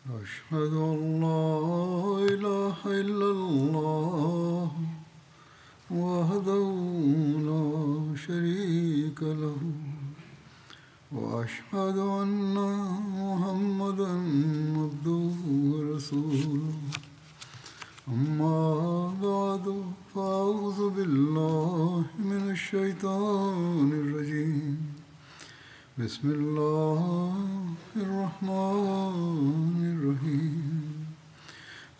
أشهد أن لا إله إلا الله وحده لا شريك له وأشهد أن محمدا عبده ورسوله أما بعد فأعوذ بالله من الشيطان الرجيم بسم الله الرحمن الرحيم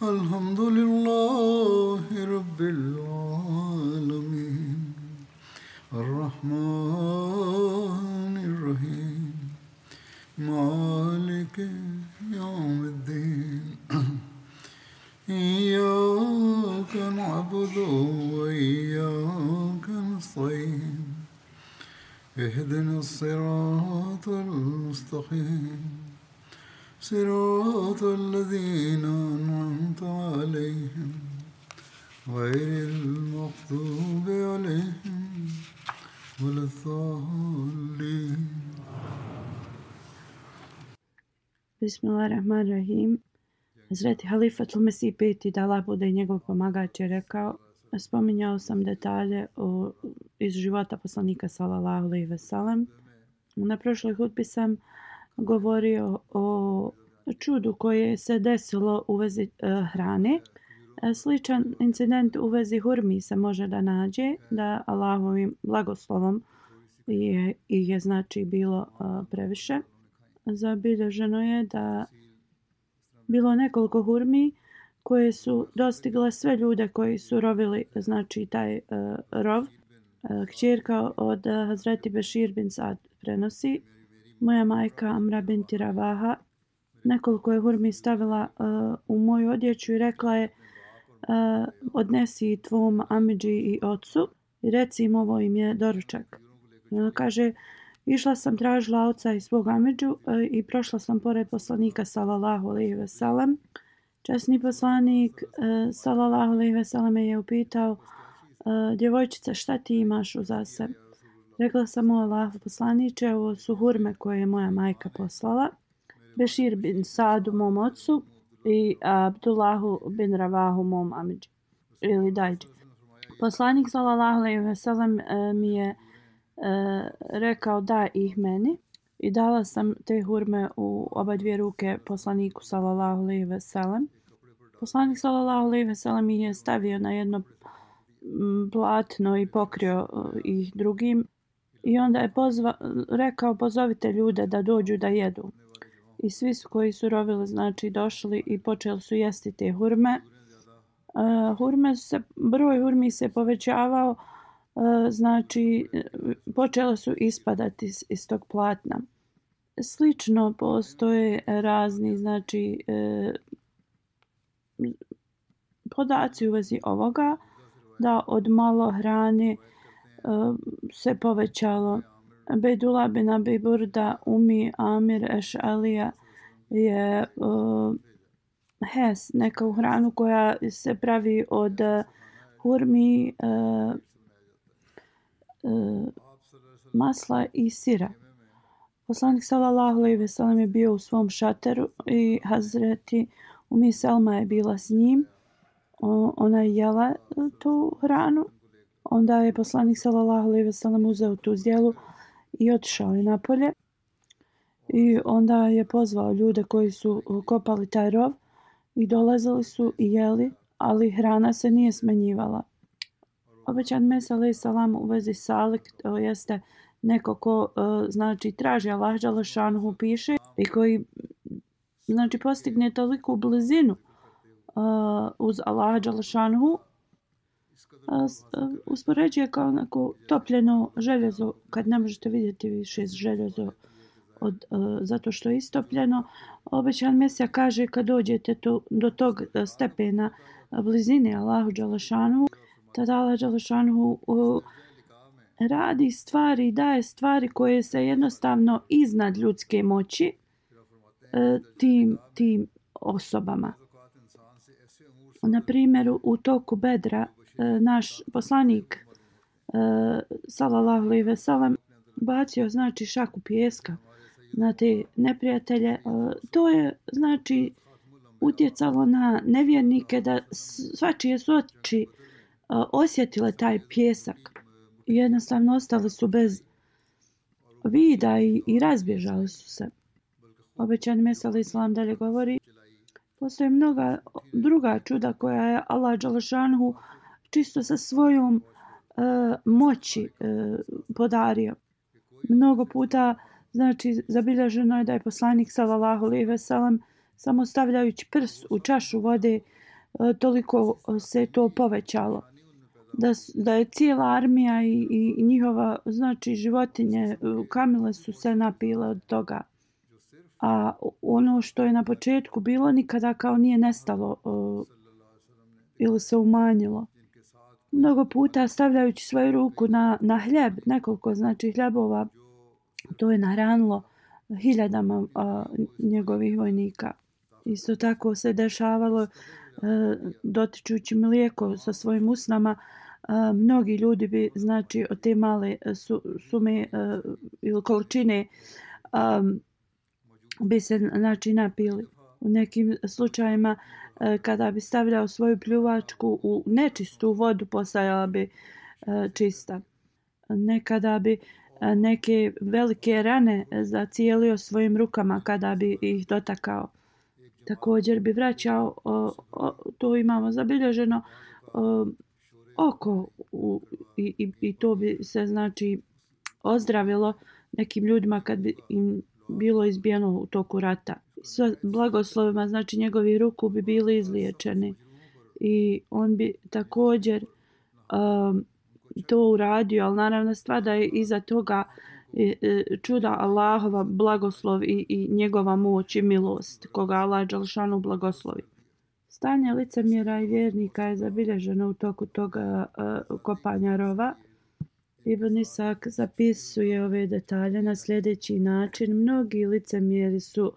الحمد لله رب العالمين الرحمن الرحيم مالك يوم الدين إياك نعبد وإياك نستعين اهدنا الصراط المستقيم صراط الذين أنعمت عليهم غير المغضوب عليهم ولا الضالين. Bismillahirrahmanirrahim. Hazreti Halifatul Mesih peti, da Allah bude njegov pomagač, je rekao: spominjao sam detalje iz života poslanika sallallahu alejhi ve sellem. Na prošloj hutbi sam govorio o čudu koje se desilo u vezi hrane. Sličan incident u vezi hurmi se može da nađe, da Allahovim blagoslovom je znači bilo previše. Zabilježeno je da bilo nekoliko hurmi koje su dostigle sve ljude koji su rovili, znači taj rov. Kćerka od Hazreti Bešir bin Sad prenosi: moja majka Amra binti Ravaha nekoliko je hurmi stavila u moju odjeću i rekla je: odnesi tvom amidži i ocu i reci im ovo im je doručak. Ona kaže: išla sam, tražila oca i svog amidžu i prošla sam pored poslanika sallallahu alejhi ve sellem. Časni poslanik sallallahu alejhi ve sellem je upitao: djevojčice, šta ti imaš uza sebe? Rekla sam: o Allahov poslaniče, ovo su hurme koje je moja majka poslala Bešir bin Sadu mom ocu i Abdullahu bin Ravahu mom amidži ili dajđi. Poslanik sallallahu alejhi ve sellem mi je rekao da ih meni i dala sam te hurme u oba dvije ruke poslaniku sallallahu alejhi ve sellem. Poslanik sallallahu alejhi ve sellem ih je stavio na jedno platno i pokrio ih drugim i onda je rekao: pozovite ljude da dođu da jedu. I svi koji su rovili znači došli i počeli su jesti te hurme. Broj hurmi se povećavao, znači počele su ispadati iz tog platna. Slično postoje razni znači podaci u vezi ovoga, da od malo hrane se povećalo. Bejdullah bin Abi Burda Umi Amir Eš'alija je hes, neka hranu koja se pravi od hurmi, masla i sira. Poslanik sallallahu alejhi ve sellem je bio u svom šateru i Hazreti Umi Selma je bila s njim. Ona je jela tu hranu. Onda je poslanik sallallahu alejhi ve sellem uzeo tu zdjelu i otišao je napolje. I onda je pozvao ljude koji su kopali taj rov i dolazili su i jeli, ali hrana se nije smanjivala. Obećan Mesih alejhi salam u vezi salik, to jeste neko ko znači traži Allah dželle šanuhu, piše, i koji znači postigne toliku blizinu uz Allah dželle šanuhu, uspoređuje kao neko topljeno željezo, kad ne možete vidjeti više željezo zato što je istopljeno. Obećan Mesija kaže: kad dođete do tog stepena blizine Allahu dželle šanuhu, tada Allah dželle šanuhu radi stvari, daje stvari koje se jednostavno iznad ljudske moći tim osobama. Na primjer, u toku Bedra naš poslanik sallallahu alejhi ve sellem bacio znači šaku pijeska na te neprijatelje. To je znači utjecalo na nevjernike da svačije su oči osjetile taj pjesak. Jednostavno ostali su bez vida i razbježali su se. Obećani Mesih alejhi selam dalje govori: postoje mnoga druga čuda koja je Allah dželešanu čisto sa svojom moći podario. Mnogo puta, znači, zabilježeno je da je poslanik sallallahu alejhi ve sellem samo stavljajući prst u čašu vode toliko se to povećalo. Da je cijela armija i njihova, znači, životinje, kamile su se napile od toga. A ono što je na početku bilo nikada kao nije nestalo ili se umanjilo. Mnogo puta stavljajući svoju ruku na hljeb, nekoliko, znači, hljebova, to je nahranilo hiljadama njegovih vojnika. Isto tako se dešavalo dotičući mlijeko sa svojim usnama. Mnogi ljudi bi, znači, od te male sume ili količine bi se, znači, napili. U nekim slučajima kada bi stavljao svoju pljuvačku u nečistu vodu, postajala bi čista. Nekada bi neke velike rane zacijelio svojim rukama kada bi ih dotakao. Također bi vraćao, to imamo zabilježeno, oko i to bi se, znači, ozdravilo nekim ljudima kad bi im bilo izbijeno u toku rata. Sve blagoslovima, znači, njegovi ruku bi bili izliječeni i on bi također to uradio, ali naravno stvar da je iza toga čuda Allahova blagoslov i njegova moć i milost koga Allah dželešanu blagoslovi. Stanje licemjera i vjernika je zabilježeno u toku toga kopanja rova. Ibn Isak zapisuje ove detalje na sljedeći način. Mnogi licemjeri su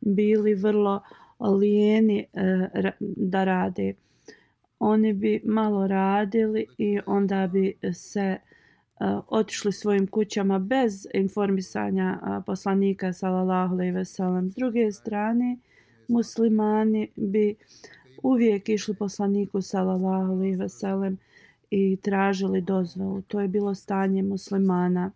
bili vrlo lijeni da rade. Oni bi malo radili i onda bi se otišli svojim kućama bez informisanja poslanika sallallahu alejhi ve sellem. S druge strane, muslimani bi uvijek išli poslaniku sallallahu alejhi ve sellem i tražili dozvolu. To je bilo stanje muslimana.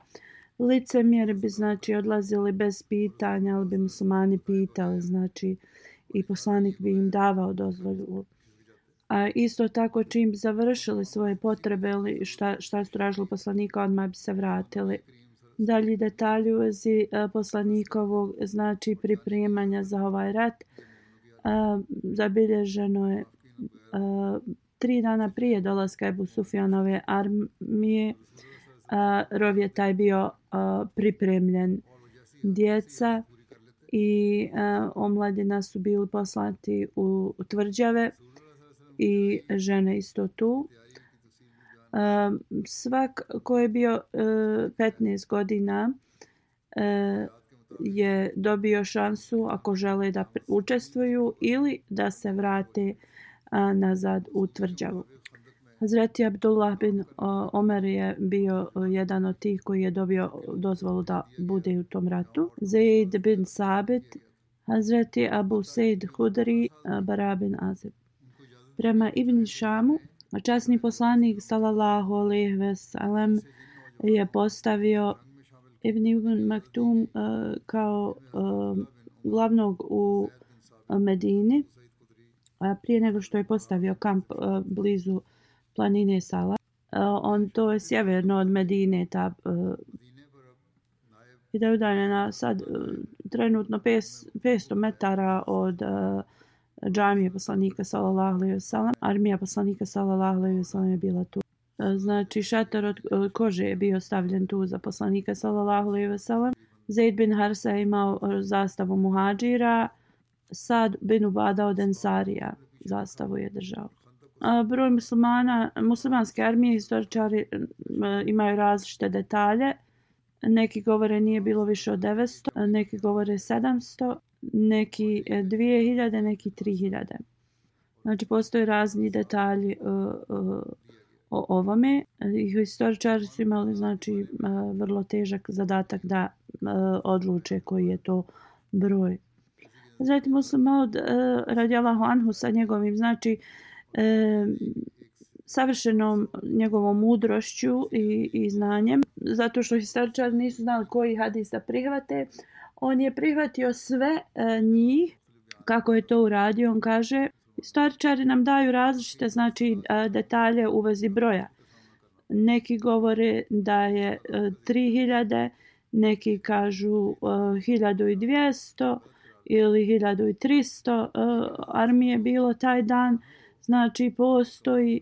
Licemjeri bi, znači, odlazili bez pitanja, ali bi muslimani pitali, znači, i poslanik bi im davao dozvolu. A isto tako, čim bi završili svoje potrebe ili šta su tražili poslanika, odmah bi se vratili. Dalji detalji u vezi poslanikovog, znači, pripremanja za ovaj rat, zabilježeno je 3 dana prije dolaska Ebu Sufjanove armije. Rov je taj bio pripremljen. Djeca i omladina su bili poslati u tvrđave i žene isto tu. Svak ko je bio 15 godina je dobio šansu ako žele da učestvuju ili da se vrate nazad u tvrđavu. Hazreti Abdullah bin Omer je bio jedan od tih koji je dobio dozvolu da bude u tom ratu. Zaid bin Sabit, Hazreti Abu Sejd Hudri, Bara bin Azib. Prema Ibn Šamu, časni poslanik sallallahu alejhi ve sellem je postavio Ibn Maktum kao glavnog u Medini prije nego što je postavio kamp blizu planine Sala. To je sjeverno od Medine, i da je udaljena sad trenutno 500 metara od džamije poslanika sallallahu alejhi ve sellem. Armija poslanika sallallahu alejhi ve sellem je bila tu. Znači, šator od kože je bio stavljen tu za poslanika sallallahu alejhi ve sellem. Zaid bin Harsa je imao zastavu muhadžira, Sad bin Ubada od Ensarija zastavu je držao. Broj muslimanske armije historičari imaju različite detalje. Neki govore nije bilo više od 900, neki govore 700, neki 2000, neki 3000. Znači, postoje razni detalji o ovome. Historičari su imali, znači, vrlo težak zadatak da odluče koji je to broj. Zatim Muslim Maud radijallahu anhu sa njegovim znači savršenom njegovom mudrošću i znanjem, zato što historičari nisu znali koji hadis da prihvate. On je prihvatio sve njih. Kako je to uradio? On kaže, historičari nam daju različite znači detalje u vezi broja. Neki govore da je 3000, neki kažu 1200 ili 1300 armije bilo taj dan. Znači postoji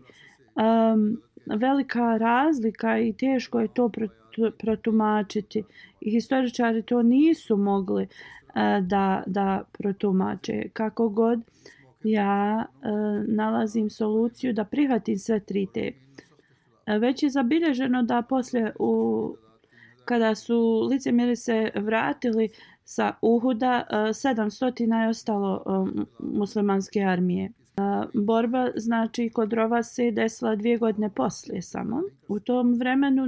velika razlika i teško je to protumačiti. I historičari to nisu mogli da protumače. Kako god, ja nalazim soluciju da prihvatim sve tri te. Već je zabilježeno da poslije kada su licemjeri se vratili sa Uhuda, 700 je ostalo muslimanske armije. Borba znači kod Rova se desila 2 godine poslije samo. U tom vremenu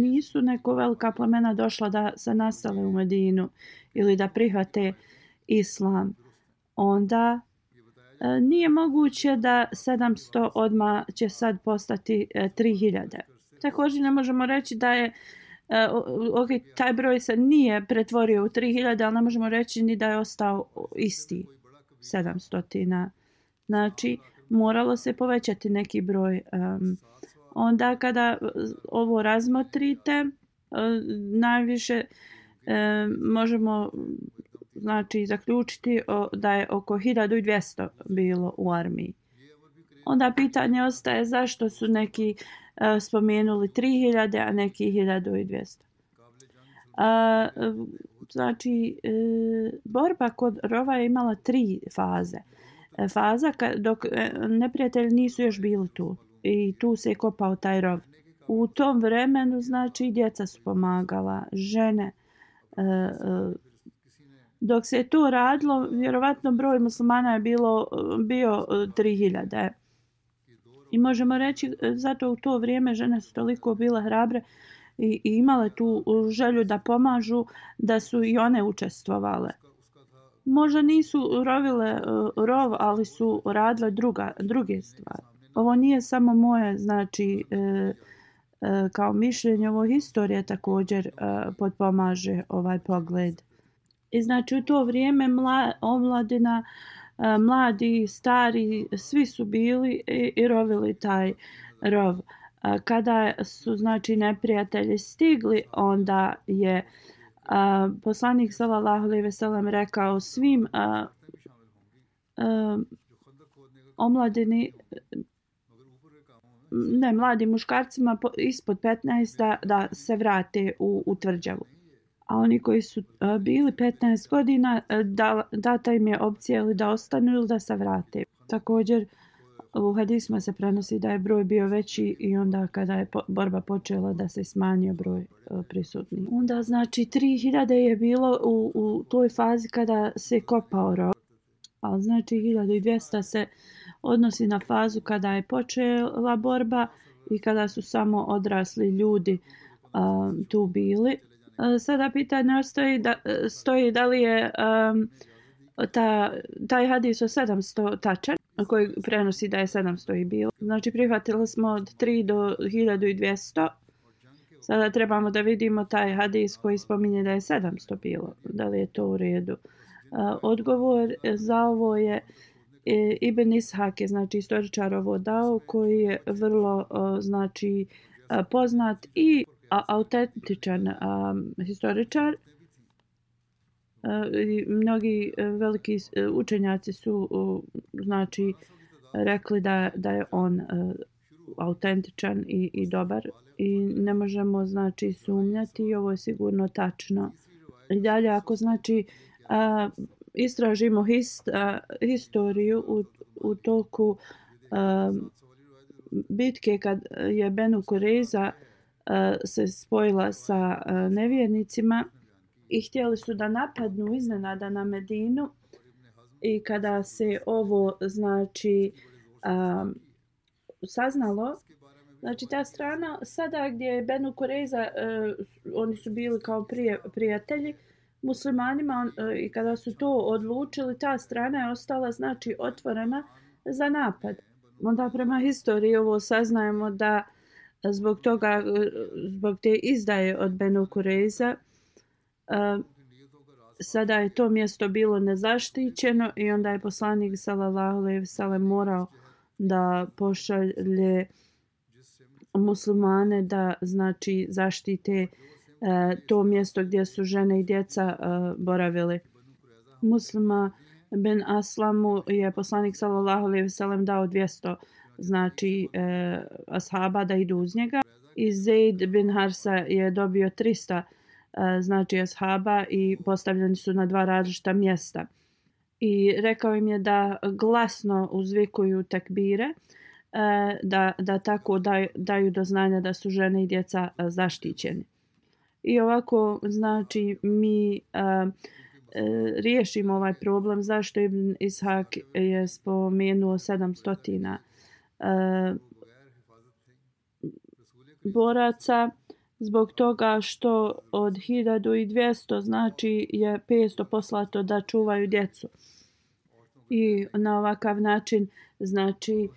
nisu neko velika plemena došla da se nastale u Medinu ili da prihvate islam. Onda nije moguće da 700 odmah će sad postati 3000. Također ne možemo reći da je taj broj se nije pretvorio u 3000, ali ne možemo reći ni da je ostao isti 700. Znači, moralo se povećati neki broj. Onda kada ovo razmotrite, najviše možemo znači zaključiti da je oko 1200 bilo u armiji. Onda pitanje ostaje zašto su neki spomenuli 3000, a neki 1200. Znači, borba kod Rova je imala 3 faze. Faza dok neprijatelji nisu još bili tu i tu se je kopao taj rov. U tom vremenu znači djeca su pomagala, žene. Dok se je to radilo, vjerovatno broj muslimana je bio 3000. I možemo reći zato u to vrijeme žene su toliko bile hrabre i imale tu želju da pomažu, da su i one učestvovale. Možda nisu rovile rov, ali su radile druge stvari. Ovo nije samo moje, znači, kao mišljenje, ovo historija također potpomaže ovaj pogled. I znači u to vrijeme omladina, mladi, stari, svi su bili i rovili taj rov. Kada su znači neprijatelji stigli, onda je poslanik sallallahu alejhi ve sellem rekao svim omladini, mladim muškarcima ispod 15 da se vrate u tvrđavu. A oni koji su bili 15 godina, data im je opcija ili da ostanu ili da se vrate. Također u hadisima se prenosi da je broj bio veći i onda kada je borba počela da se smanjio broj prisutnih. Onda znači 3000 je bilo u toj fazi kada se kopao rov. Ali znači 1200 se odnosi na fazu kada je počela borba i kada su samo odrasli ljudi tu bili. Sada pitanje stoji da li je taj hadis o 700 tačan, koji prenosi da je 700 i bilo. Znači prihvatili smo od 3 do 1200. Sada trebamo da vidimo taj hadis koji spominje da je 700 bilo. Da li je to u redu? Odgovor za ovo je Ibn Ishak, je znači historičar ovo dao, koji je vrlo znači poznat i autentičan historičar. Mnogi veliki učenjaci su znači rekli da je on autentičan i dobar i ne možemo znači sumnjati i ovo je sigurno tačno. I dalje ako znači istražimo historiju u toku bitke kad je Benu Kurejza se spojila sa nevjernicima i htjeli su da napadnu iznenada na Medinu i kada se ovo znači saznalo, znači ta strana sada gdje je Benu Kurejza, oni su bili kao prijatelji, muslimanima i kada su to odlučili, ta strana je ostala znači otvorena za napad. Onda prema historiji ovo saznajemo da zbog toga, zbog te izdaje od Benu Kurejza, sada je to mjesto bilo nezaštićeno i onda je poslanik sallallahu alejhi ve sellem morao da pošalje muslimane da znači zaštite to mjesto gdje su žene i djeca boravili. Muslima ben Aslamu je poslanik sallallahu alejhi ve sellem dao 200 znači ashaba da idu uz njega i Zaid bin Harsa je dobio 300 znači ashaba i postavljeni su na 2 različita mjesta. I rekao im je da glasno uzvikuju tekbire, da tako daju do znanja da su žene i djeca zaštićeni. I ovako znači mi riješimo ovaj problem zašto Ibn Ishak je spomenuo 700 boraca, zbog toga što od 1200 znači je 500 poslato da čuvaju djecu. I na ovakav način znači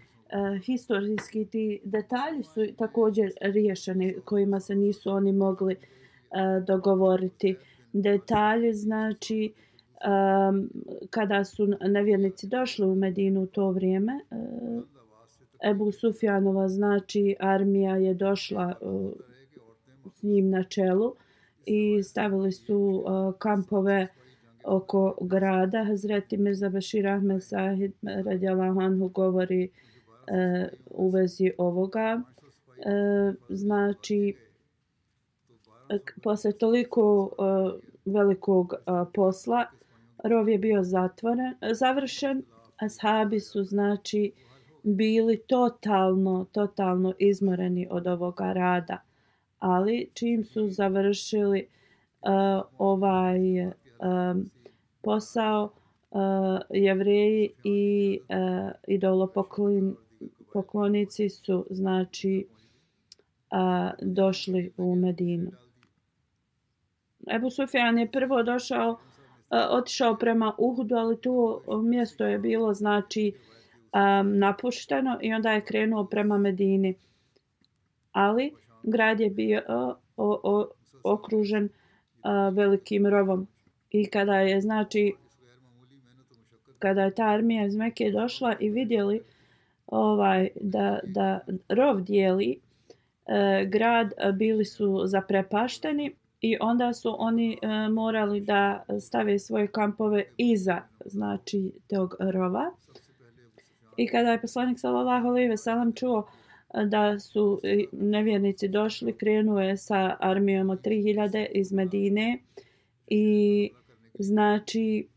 historijski ti detalji su također riješeni kojima se nisu oni mogli dogovoriti. Detalji znači kada su nevjernici došli u Medinu u to vrijeme, Ebu Sufjanova znači armija je došla s njim na čelu i stavili su kampove oko grada. Hazreti Mirza Bashir Ahmed Sahib radijallahu anhu govori u vezi ovoga. Znači, posle toliko velikog posla, rov je bio završen, ashabi su znači bili totalno izmoreni od ovoga rada. Ali čim su završili ovaj posao, Jevreji i idolopoklonici su znači došli u Medinu. Ebu Sufjan je prvo otišao prema Uhudu, ali to mjesto je bilo znači napušteno i onda je krenuo prema Medini. Ali grad je bio okružen velikim rovom. I kada je znači kada je ta armija iz Mekke došla i vidjeli da rov dijeli grad, bili su zaprepašteni i onda su oni morali da stave svoje kampove iza znači tog rova. I kada je poslanik sallallahu alejhi ve sellem čuo da su nevjernici došli, krenuo je sa armijom od 3000 iz Medine i znači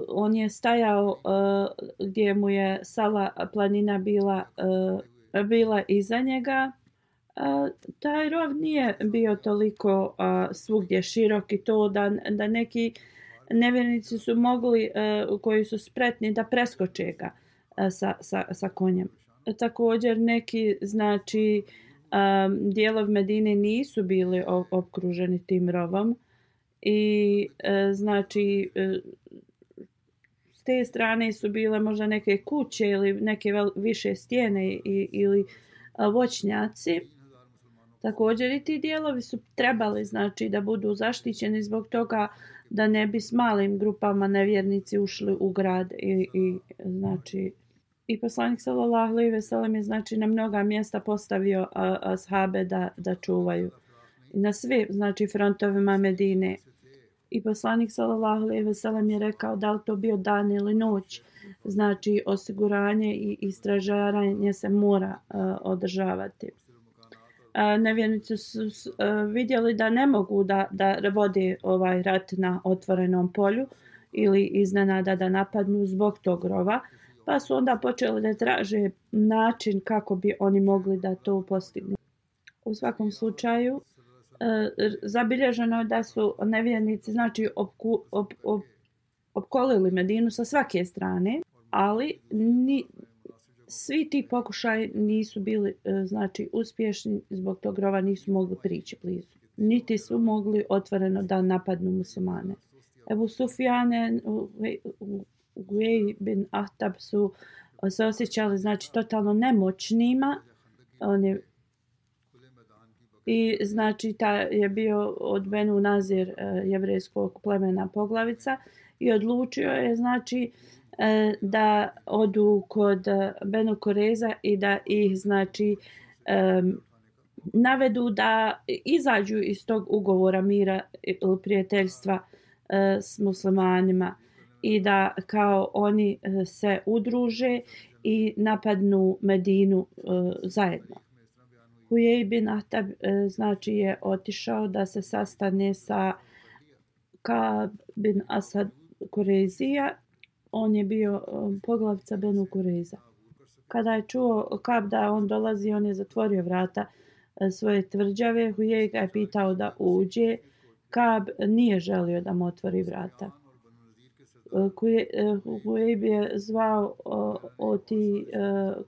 on je stajao gdje mu je Sala planina bila iza njega. Taj rov nije bio toliko svugdje širok i to da neki nevjernici su mogli, koji su spretni, da preskoče ga sa konjem. Također neki znači dijelovi Medine nisu bili okruženi tim rovom i znači s te strane su bile možda neke kuće ili neke više stijene ili voćnjaci. Također i ti dijelovi su trebali znači da budu zaštićeni zbog toga da ne bi s malim grupama nevjernici ušli u grad i znači i poslanik sallallahu alejhi ve sellem je znači na mnoga mjesta postavio ashabe da čuvaju na sve znači frontovima Medine. I poslanik sallallahu alejhi ve sellem je rekao da li to bio dan ili noć, znači osiguranje i stražaranje se mora održavati. Nevjernici su vidjeli da ne mogu da vode ovaj rat na otvorenom polju ili iznenada da napadnu zbog tog rova, pa su onda počeli da traže način kako bi oni mogli da to postignu. U svakom slučaju, zabilježeno je da su nevjernici znači opkolili Medinu sa svake strane, ali svi ti pokušaji nisu bili znači uspješni, zbog tog rova nisu mogli prići blizu. niti su mogli otvoreno da napadnu muslimane. Ebu Sufjane, Huyej bin Ahtab su se osjećali znači totalno nemoćnima. I znači je bio od Benu Nazir jevrejskog plemena poglavica i odlučio je znači da odu kod Benu Kureza i da ih znači navedu da izađu iz tog ugovora mira ili prijateljstva s muslimanima i da kao oni se udruže i napadnu Medinu zajedno. Huyej bin Ahtab znači je otišao da se sastane sa Ka'b bin Asad Kurezija. On je bio poglavica Benu Kureza. Kada je čuo Ka'b da on dolazi, on je zatvorio vrata svoje tvrđave. Huyej ga je pitao da uđe. Ka'b nije želio da mu otvori vrata. Huyej je zvao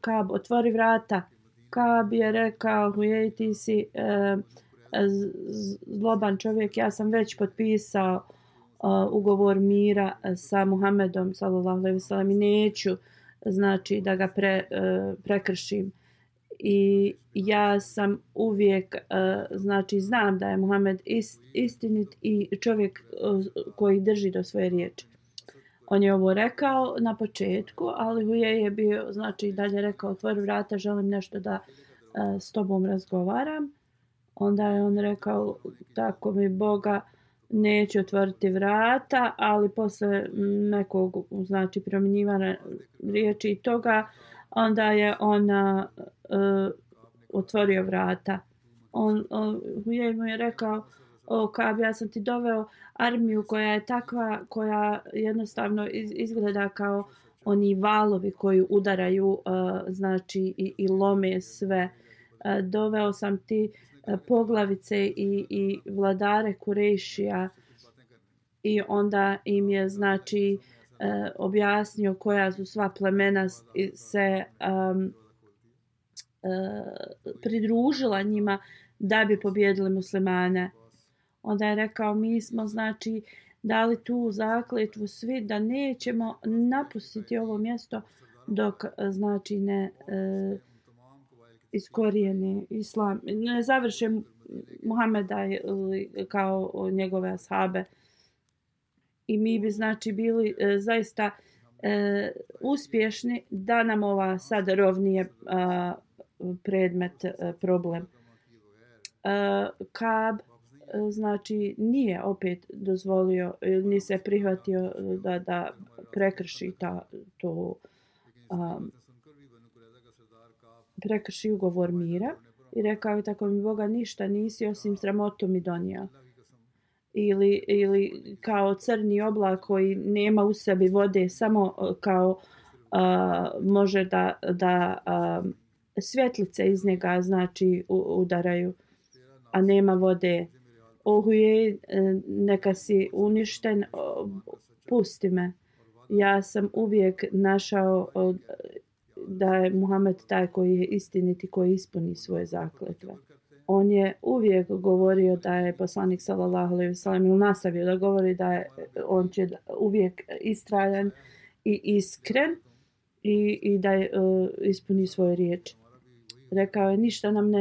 Ka'b, otvori vrata. Ka'b je rekao, Huyej, ti si zloban čovjek, ja sam već potpisao ugovor mira sa Muhammedom sallallahu alejhi ve sellem i neću znači da ga prekršim. I ja sam uvijek znači znam da je Muhammed istinit i čovjek koji drži do svoje riječi. On je ovo rekao na početku, ali Huyej je bio znači dalje rekao, otvori vrata, želim nešto da s tobom razgovaram. Onda je on rekao, tako mi Boga, neće otvoriti vrata, ali posle nekog znači promjenjivanja riječi i toga, onda je on otvorio vrata. Huyej mu je rekao, Ka'b, ja sam ti doveo armiju koja je takva, koja jednostavno izgleda kao oni valovi koji udaraju znači i lome sve. Doveo sam ti poglavice i vladare Kurejšija i onda im je znači objasnio koja su sva plemena se pridružila njima da bi pobjedili muslimane. Onda je rekao, mi smo znači dali tu zakletvu svi da nećemo napustiti ovo mjesto dok znači ne iskorijene islam, ne završe Muhameda kao njegove ashabe. I mi bi znači bili zaista uspješni da nam ova sad rovnije predmet problem. Ka'b znači nije opet dozvolio, ni se prihvatio da prekrši prekrši ugovor mira i rekao je, tako mi Boga, ništa nisi osim sramotu mi donio. Ili kao crni oblak koji nema u sebi vode, samo kao može da svjetlice iz njega znači udaraju, a nema vode. Huyej, neka si uništen, pusti me. Ja sam uvijek našao da je Muhammed taj koji je istinit i koji ispuni svoje zakletve. On je uvijek govorio da je poslanik sallallahu alejhi ve sellem nastavio da govori da je on će uvijek istrajan i iskren i da je, ispuni svoje riječi. Rekao je, ništa nam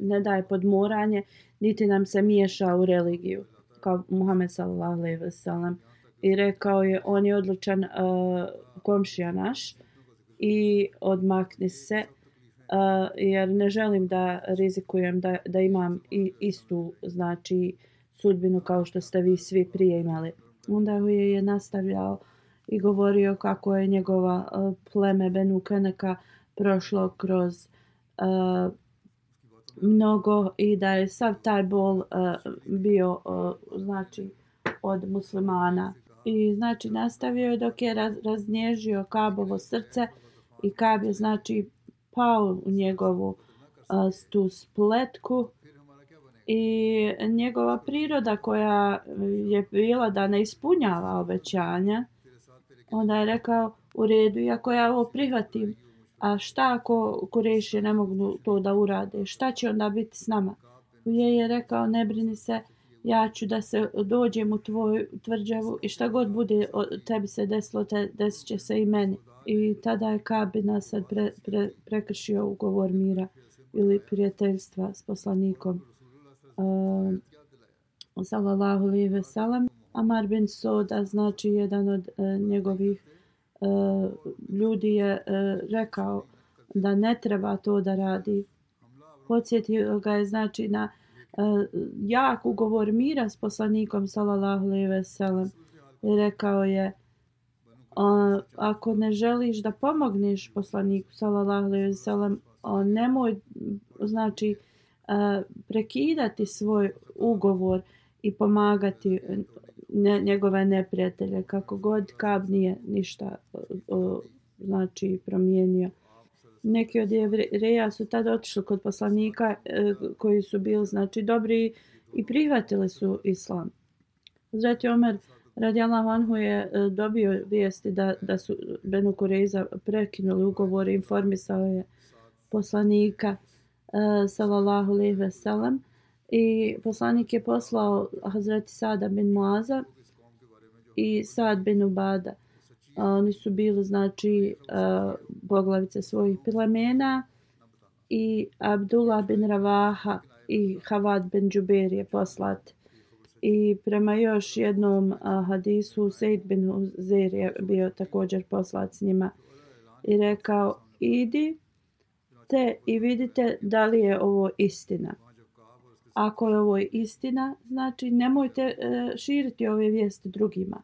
ne daje podmoranje, niti nam se miješa u religiju, kao Muhammed sallallahu alejhi ve sellem. I rekao je, on je odlučan komšija naš i odmakni se, jer ne želim da rizikujem da imam istu znači sudbinu kao što ste vi svi prije imali. Onda je nastavljao i govorio kako je njegova pleme Benu Keneka prošlo kroz mnogo i da je sav taj bol bio znači od muslimana. I znači nastavio je dok je raznježio Ka'bovo srce i Ka'b je znači pao u njegovu tu spletku i njegova priroda koja je bila da ne ispunjava obećanja, onda je rekao, u redu, iako ja ovo prihvatim, a šta ako Kurejši ne mogu to da urade, šta će onda biti s nama? Hujej je rekao, ne brini se, ja ću da se dođem u tvoju tvrđavu i šta god bude tebi se desilo, desit će se i meni. I tada je Ka'b bin Asad prekršio ugovor mira ili prijateljstva s poslanikom sallallahu alejhi ve sellem. Amar bin Soda, znači jedan od njegovih ljudi je rekao da ne treba to da radi. Podsjetio ga je znači na jak ugovor mira s poslanikom sallallahu alejhi ve sellem. I rekao je, ako ne želiš da pomogneš poslaniku sallallahu alejhi ve sellem, nemoj znači prekidati svoj ugovor i pomagati njegove neprijatelje, kako god Ka'b nije ništa znači promijenio. Neki od Jevreja su tada otišli kod poslanika koji su bili znači dobri i prihvatili su islam. Hazreti Omer radijallahu anhu je dobio vijesti da su Benu Kurejza prekinuli ugovor i informisao je poslanika sallallahu alejhi ve sellem i poslanik je poslao Hazreti Sada bin Muaza i Sad bin Ubada. Oni su bili znači poglavice svojih plemena i Abdullah bin Ravaha i Havad bin Džubeir je poslat. I prema još jednom hadisu Sejd bin Uzeir je bio također poslat s njima i rekao, idi te i vidite da li je ovo istina. Ako je ovo istina, znači nemojte širiti ove vijesti drugima.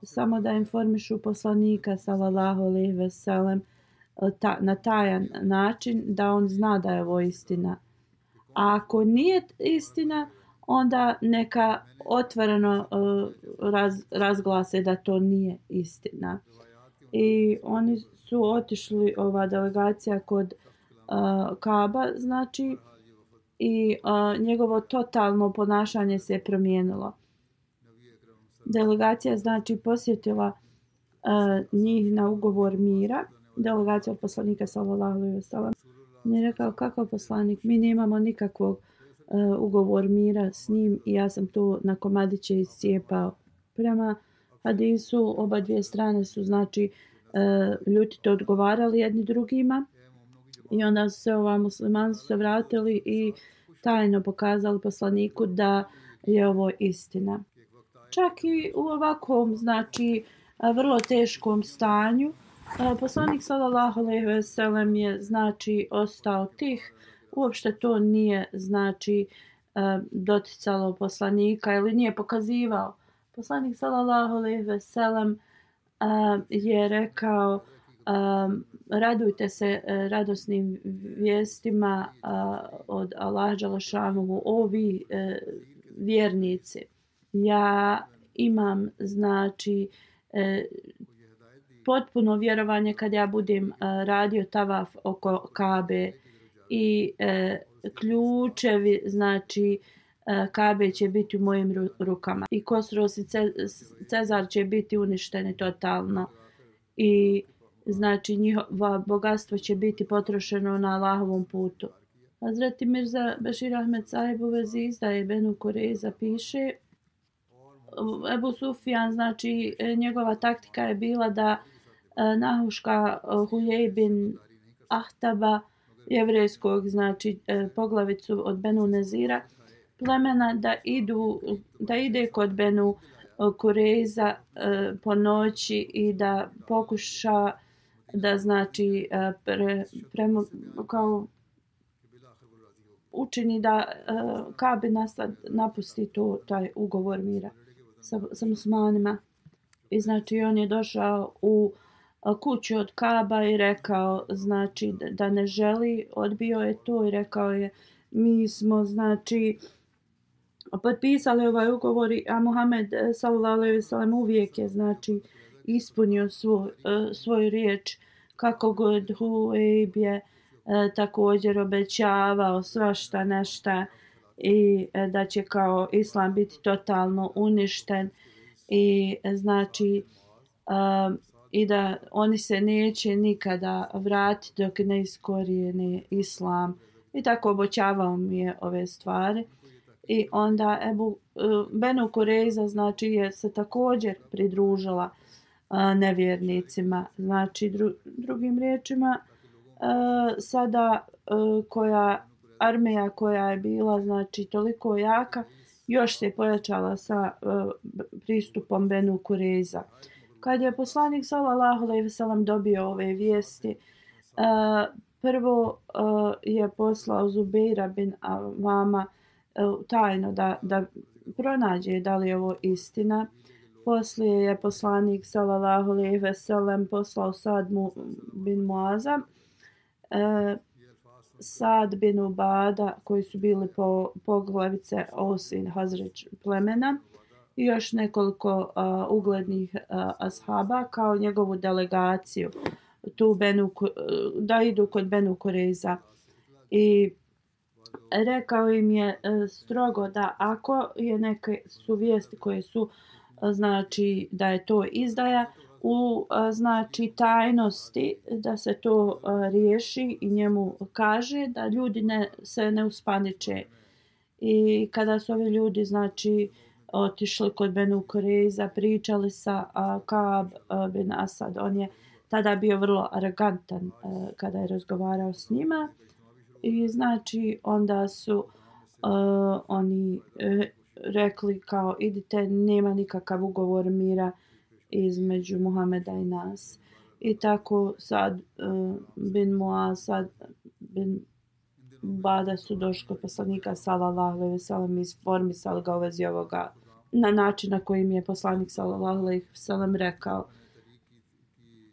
Samo da informišu poslanika sallallahu alejhi ve sellem na tajan način da on zna da je ovo istina. A ako nije istina, onda neka otvoreno razglase da to nije istina. I oni su otišli, ova delegacija, kod Ka'ba, znači, i njegovo totalno ponašanje se je promijenilo. Delegacija znači posjetila njih na ugovor mira. Delegacija od poslanika sallallahu alejhi ve sellem. On je rekao, kakav poslanik? Mi nemamo nikakvog ugovor mira s njim i ja sam to na komadiće iscijepao. Prema hadisu oba dvije strane su znači ljutito odgovarali jedni drugima i onda su se muslimani su se vratili i tajno pokazali poslaniku da je ovo istina. Čak i u ovakvom znači vrlo teškom stanju poslanik sallallahu alejhi ve sellem je znači ostao tih. Uopšte to nije znači doticalo poslanika ili nije pokazivao. Poslanik sallallahu alejhi ve sellem je rekao, radujte se radosnim vijestima od Allaha dželle šanuhu, o vi vjernici. Ja imam znači potpuno vjerovanje kad ja budem radio tavaf oko Kabe i ključevi znači Kabe će biti u mojim rukama i Kosros i Cezar će biti uništeni totalno i znači njihova bogatstvo će biti potrošeno na Allahovom putu. Hazreti Mirza Bešir Ahmed Sahib u vezi izdaje Benu Kurejza piše, Ebu Sufjan, znači njegova taktika je bila da nahuška Hujej bin Ahtaba, jevrejskog znači poglavicu od Benu Nezira plemena, da ide kod Benu Kurejza po noći i da pokuša da znači kao učini da Ka'b bin Asad napusti taj ugovor mira sa muslimanima. I znači on je došao u kuću od Ka'ba i rekao znači da ne želi, odbio je to i rekao je, mi smo znači potpisali ovaj ugovor, a Muhammed sallallahu alejhi ve sellem uvijek je znači ispunio svoju riječ, kako god Hujejb je također obećavao svašta nešta i da će kao islam biti totalno uništen i znači i da oni se neće nikada vratiti dok ne iskorijene islam I tako obećavao mi je ove stvari. I onda Benu Kureiza znači je se također pridružila nevjernicima. Znači drugim riječima sada armija koja je bila znači toliko jaka još se pojačala sa pristupom Benu Kureiza. Kad je poslanik sallallahu alejhi ve sellem dobio ove vijesti, prvo je poslao Zubeira bin Avama tajno da pronađe da li je ovo istina. Poslije je poslanik sallallahu alejhi ve sellem poslao Sad bin Muaza, Sad bin Ubada koji su bili poglavice Aus i Hazreć plemena i još nekoliko uglednih ashaba kao njegovu delegaciju da idu kod Benu Kureiza. I rekao im je strogo da ako je neke su vijesti koje su znači da je to izdaja u znači tajnosti, da se to riješi i njemu kaže da ljudi se ne uspaniče. I kada su ovi ljudi znači otišli kod Benu Kureiza, pričali sa Kaab bin Asad, on je tada bio vrlo arogantan kada je razgovarao s njima. I znači onda su oni rekli kao idite, nema nikakav ugovor mira između Muhameda i nas. I tako Sad bin Muaz, Sad bin Ubada su došli kod poslanika sallallahu alejhi ve sellem i informisali ga u vezi ovoga na način na koji mi je poslanik sallallahu alejhi ve sellem rekao.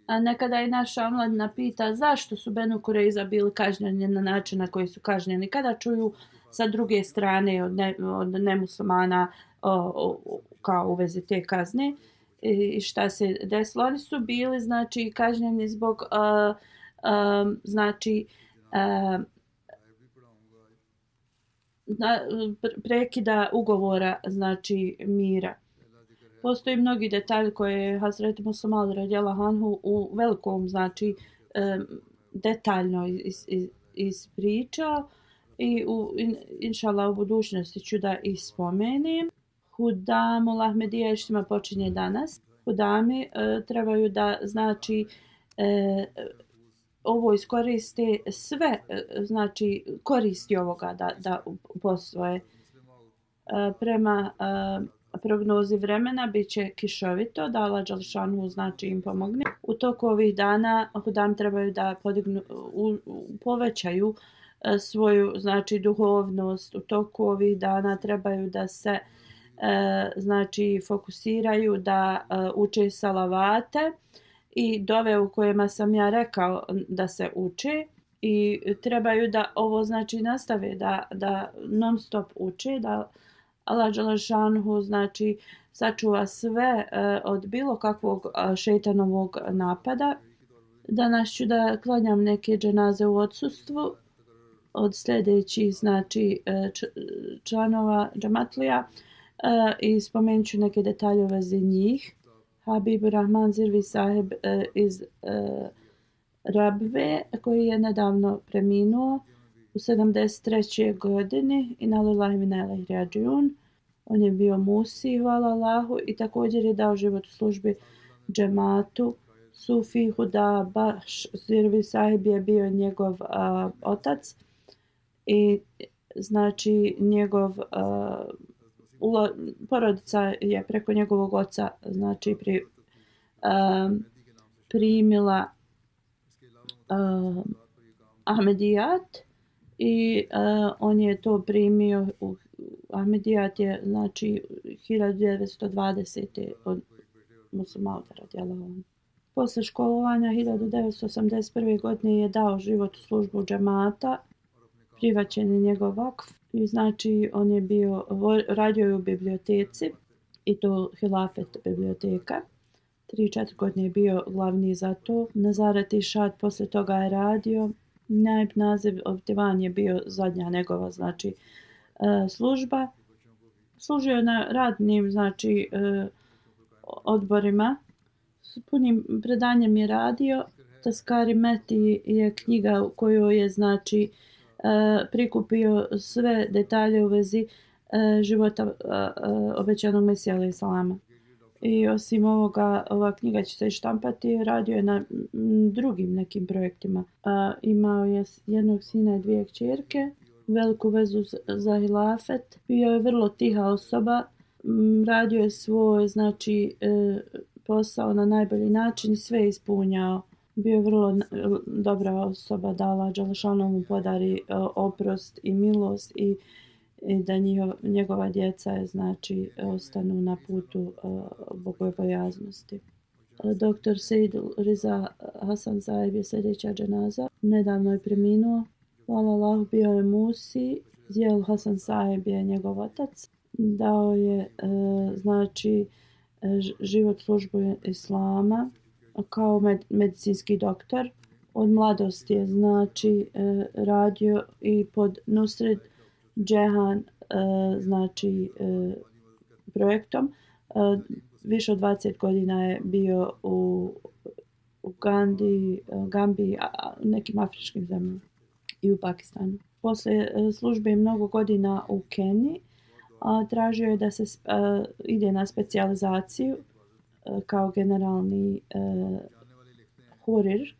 A nekada i naša omladina pita zašto su Benu Kureiza bili kažnjeni na način na koji su kažnjeni. Kada čuju sa druge strane od nemuslimana kao u vezi te kazne i šta se desilo. Oni su bili znači kažnjeni zbog znači prekida ugovora znači mira. Postoji mnogi detalji koje je Hazreti Musa Maud radijallahu anhu u velikom znači detaljno ispričao i inšallah u budućnosti ću da ih spomenem. Hudamul Ahmedija štima počinje danas. Hudami trebaju da znači ovo iskoriste sve znači koristi ovoga da posvoje. Prema prognozi vremena bit će kišovito, da Allah dželešanu znači im pomogne. U toku ovih dana Hudam trebaju da povećaju svoju znači duhovnost. U toku ovih dana trebaju da se znači fokusiraju da uče salavate i dove u kojima sam ja rekao da se uče i trebaju da ovo znači nastave da non stop uče, da Allah dželešanu znači sačuva sve od bilo kakvog šejtanovog napada. Danas ću da klanjam neke dženaze u odsustvu od sljedećih znači članova džematlija i spomenut ću neke detalje u vezi njih. Habib Rahman Zirvi sahib iz Rabve koji je nedavno preminuo u 73. godini i na lillahi min ilaihi rađiun. On je bio musi, hvala Allahu, i također je dao život u službi džematu. Sufi Huda Baš Zirvi sahib je bio njegov otac i znači njegov porodica je preko njegovog oca znači primila Ahmedijat i on je to primio u Ahmedijat je znači 1920. od Musa Mauda radijallahu anhu. Posle školovanja 1981. godine je dao život u službu džemata, prihvaćen je njegov vakf i znači on je radio u biblioteci i to hilafet biblioteka. 3-4 godine je bio glavni za to. Nazaret Išad posle toga je radio. Naib naziv Divan je bio zadnja njegova znači služba. Služio je na radnim znači odborima. S punim predanjem je radio. Taskari Meti je knjiga u kojoj je znači prikupio sve detalje u vezi života obećanog Mesija alejhi salama. I osim ovoga, ova knjiga će se i štampati, radio je na drugim nekim projektima. Imao je jednog sina i dvije kćerke, veliku vezu za hilafet, bio je vrlo tiha osoba, radio je svoj posao na najbolji način, sve ispunjao. Bio je vrlo dobra osoba, da Allah dželešanu mu podari oprost i milost i da njegova djeca ostanu na putu bogobojaznosti. Dr. Sejd Riza Hasan Saib je sljedeća dženaza. Nedavno je preminuo. Hvala Allahu, bio je Musi. Zijel Hasan Saib je njegov otac. Dao je život službu islama kao medicinski doktor. Od mladosti je radio i pod Nusret Džehan projektom. Više od 20 godina je bio u Gambiji, nekim afričkim zemljama i u Pakistanu. Poslije službe mnogo godina u Keniji, tražio je da se ide na specijalizaciju kao generalni hirurg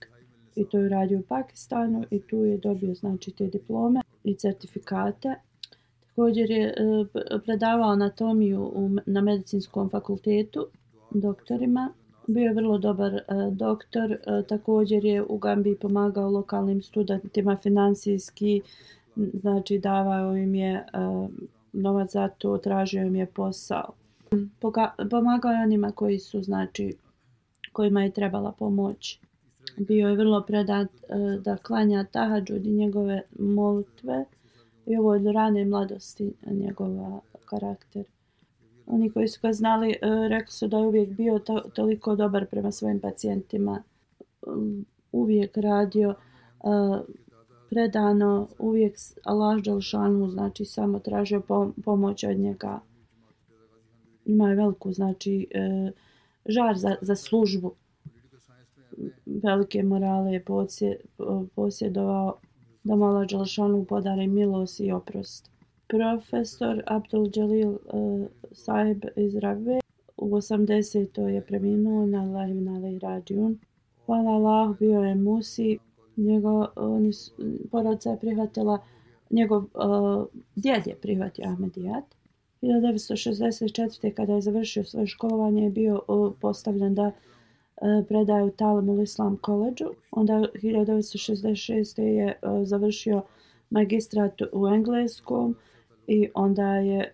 i to je radio u Pakistanu i tu je dobio te diplome i certifikate. Također je predavao anatomiju na medicinskom fakultetu doktorima. Bio je vrlo dobar doktor. Također je u Gambiji pomagao lokalnim studentima finansijski. Davao im je novac za to, tražio im je posao. Pomagao je onima kojima je trebala pomoć. Bio je vrlo predan da klanja tahadžud i njegove molitve. I ovo od rane mladosti njegova karakter. Oni koji su ga znali rekli su da je uvijek bio toliko dobar prema svojim pacijentima. Uvijek radio predano, uvijek Allah dželešanu samo tražio pomoć od njega. Ima je veliku žar za službu. Velike morale je posjedovao da mu Allah dželešanu podari milost i oprost. Profesor Abdul Jalil Saib iz Rabve u 80. je preminuo na Allahi wa alejhi rađiun. Hvala Allah, bio je Musi. Porodica je prihvatila, njegov djed je prihvatio Ahmedijat. 1964. kada je završio svoje školovanje je bio postavljen da predaje u Talimul Islam koledžu. Onda 1966. je završio magistrat u engleskom i onda je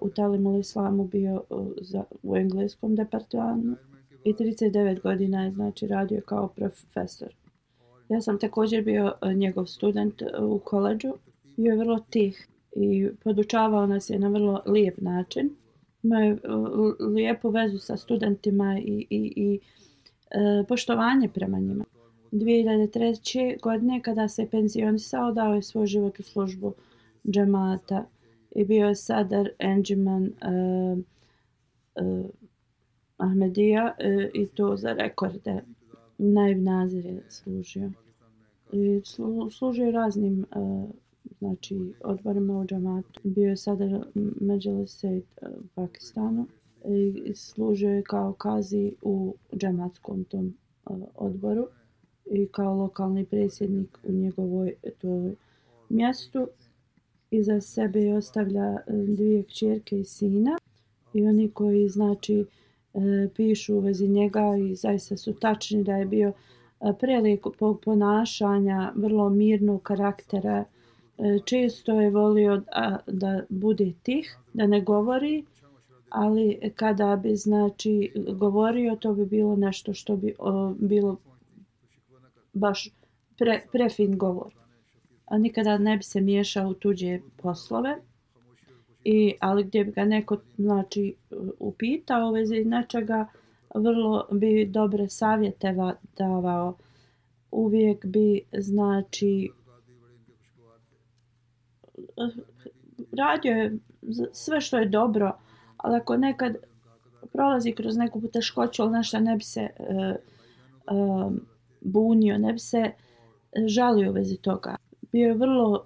u Talimul Islamu bio u engleskom departmanu i 39 godina je radio kao profesor. Ja sam također bio njegov student u koledžu. Bio je vrlo tih i podučavao nas je na vrlo lijep način. Imao je lijepu vezu sa studentima i poštovanje prema njima. 2003. godine kada se penzionisao dao je svoj život u službu džemata i bio je Sadar Enđiman Ahmedija i to za rekorde. Naib Nazir je služio. I služio raznim odborima u džematu. Bio je Sadar Međlisejt u Pakistanu i služio je kao kazi u džematskom tom odboru i kao lokalni predsjednik u njegovoj mjestu. Iza sebe je ostavlja dvije kćerke i sina i oni koji pišu u vezi njega i zaista su tačni da je bio prelijepog ponašanja, vrlo mirnog karaktera. Često je volio da bude tih, da ne govori, ali kada bi govorio to bi bilo nešto što bi bilo baš prefin govor. A nikada ne bi se miješao u tuđe poslove. Ali gdje bi ga neko upitao u vezi nečega, vrlo bi dobre savjete davao. Uvijek bi radio je sve što je dobro, ali ako nekad prolazi kroz neku poteškoću, ali nešto ne bi se bunio, ne bi se žalio u vezi toga. Bio je vrlo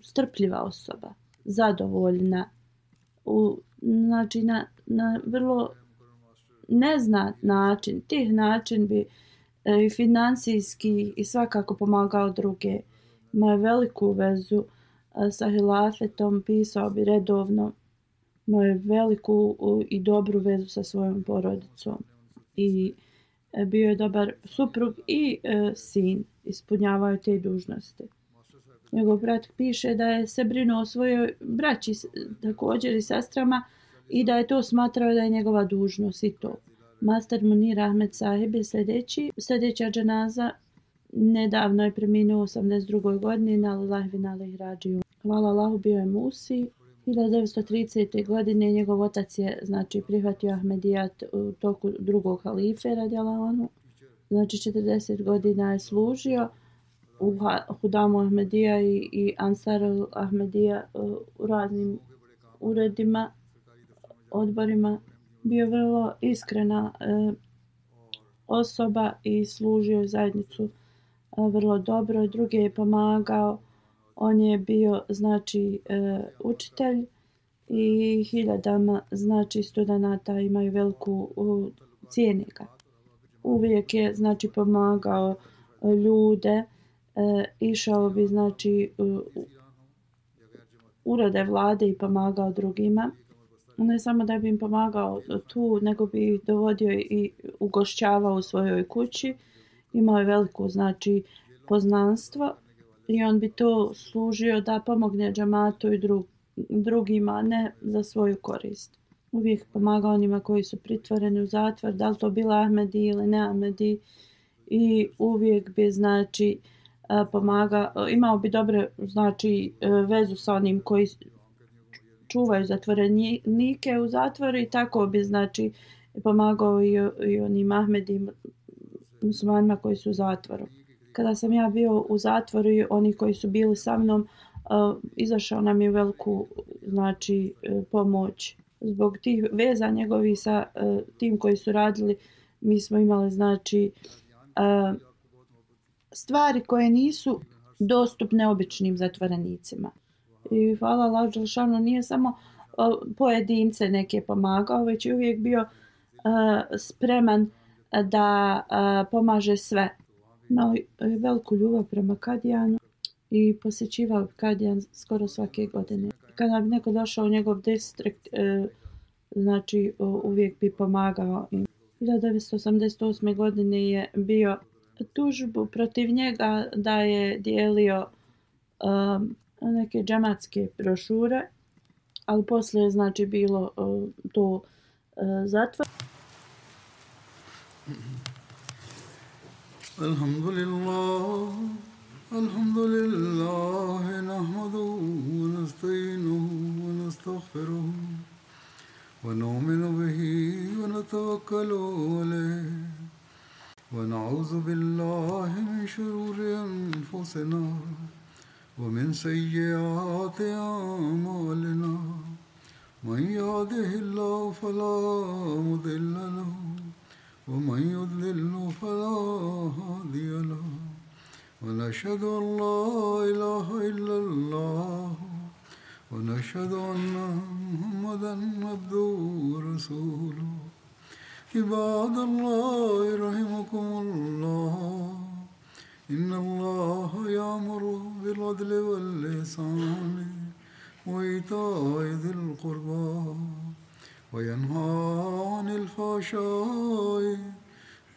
strpljiva osoba, zadovoljna, znači na vrlo neznat način. Tih način bi i financijski i svakako pomagao druge. Imao je veliku vezu sa hilafetom, pisao bi redovno. Imao je veliku i dobru vezu sa svojom porodicom. I bio je dobar suprug i sin. Ispunjavao je te dužnosti. Njegov brat piše da je se brinuo o svojoj braći također i sestrama i da je to smatrao da je njegova dužnost i to. Master Munir Ahmed Sahib je sljedeća dženaza. Nedavno je preminuo u 82. godini na Lillahi wa inna ilaihi rađiun. Hvala Allahu, bio je Musi. 1930. godine njegov otac je znači prihvatio Ahmedijat u toku drugog halife radijallahu anhu. Znači 40 godina je služio u Hudamu Ahmedija i Ansar Ahmedija u raznim uredima, odborima. Bio vrlo iskrena osoba i služio zajednicu vrlo dobro. Druge je pomagao. On je bio znači učitelj i hiljadama znači studenata imaju veliku cijene ga. Uvijek je znači pomagao ljude. Išao bi znači urede vlade i pomagao drugima. Ne samo da bi im pomagao tu, nego bi ih dovodio i ugošćavao u svojoj kući. Imao je veliko znači poznanstvo i on bi to služio da pomogne džamatu i drugima, ne za svoju korist. Uvijek pomagao onima koji su pritvoreni u zatvor, da li to bila Ahmedi ili ne Ahmedi, i uvijek bi znači pomagao, imao bi dobre znači vezu sa onim koji čuvaju zatvorenike u zatvoru i tako bi znači pomagao i onim Ahmedim muslimanima koji su u zatvoru. Kada sam ja bio u zatvoru i oni koji su bili sa mnom, izašao nam je veliku znači pomoć. Zbog tih veza njegovi sa tim koji su radili, mi smo imali znači stvari koje nisu dostupne običnim zatvorenicima. I hvala Allahu dželešanu, nije samo pojedince neke pomagao, već je uvijek bio spreman da pomaže sve. Imao veliku ljubav prema Kadijanu i posjećivao Kadijan skoro svake godine. Kada bi neko došao u njegov distrikt, znači uvijek bi pomagao im. 1988. godine je bio tužbu protiv njega da je dijelio neke džematske brošure, ali poslije je znači bilo to zatvor. Alhamdulillah, nahmaduhu wa nasta'inuhu wa nastaghfiruh wa nu'minu bihi wa natawakkalu alayh wa na'udhu billahi min shururi anfusina wa min sayyiati a'malina. Man yahdihillahu fala mudilla lahu ومن يضلل فلا هادي له ونشهد أن لا إله إلا الله ونشهد أن محمدا عبده ورسوله. عباد الله رحمكم الله إن الله يأمر بالعدل والإحسان وإيتاء ذي القربى وينهى عن الفحشاء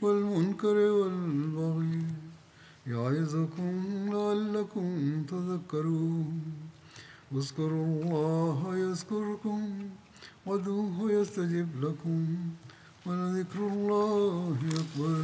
والمنكر والبغي يعظكم لعلكم تذكرون. اذكروا الله يذكركم وادعوه يستجب لكم ولذكر الله أكبر.